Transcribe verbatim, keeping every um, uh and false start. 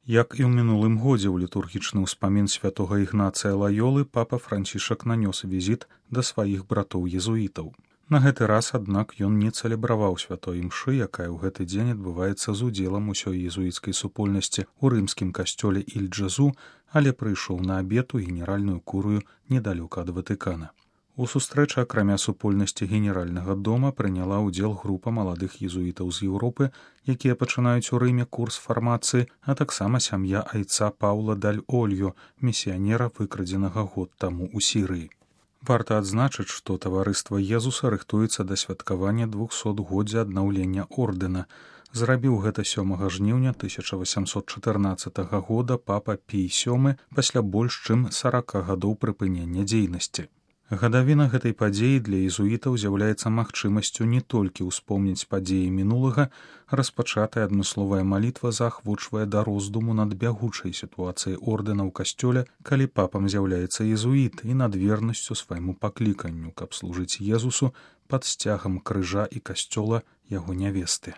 Як і ў мінулым годзе ў літургічны ўспамін святога Ігнацыя Лаёлы папа Францішак нанёс візіт да сваіх братоў-езуітаў. На гэты раз, аднак, ён не цэлебраваў святой імшы, якая ў гэты дзень адбываецца з удзелам усёй езуіцкай супольнасці ў рымскім касцёле Іль-Джазу, але прыйшоў на абед у генеральную курыю недалёка ад Ватыкана. У сустрэчы, акрамя супольнасці генеральнага дома, прыняла ўдзел група маладых езуітаў з Еўропы, якія пачынаюць у Рыме курс фармацыі, а таксама сям'я айца Паўла даль Ольё, місіянера, выкрадзенага год таму ў Сірыі. Варта адзначыць, што таварыства Езуса рыхтуецца да святкавання двухсотгоддзя аднаўлення ордэна. Зрабіў гэта сёмага жніўня тысяча васямсот чатырнаццатага года папа Пій сёмы пасля больш чым сарака гадоў прыпынення дзейнасці. Гадавіна гэтай падзеі для езуітаў з'яўляецца магчымасцю не толькі ўспомніць падзеі мінулага, распачатая адмысловая малітва заахвочвае да роздуму над бягучай сітуацыяй ордэна ў касцёле, калі папам з'яўляецца езуіт, і над вернасцю свайму пакліканню, каб служыць Езусу пад сцягам крыжа і касцёла яго нявесты.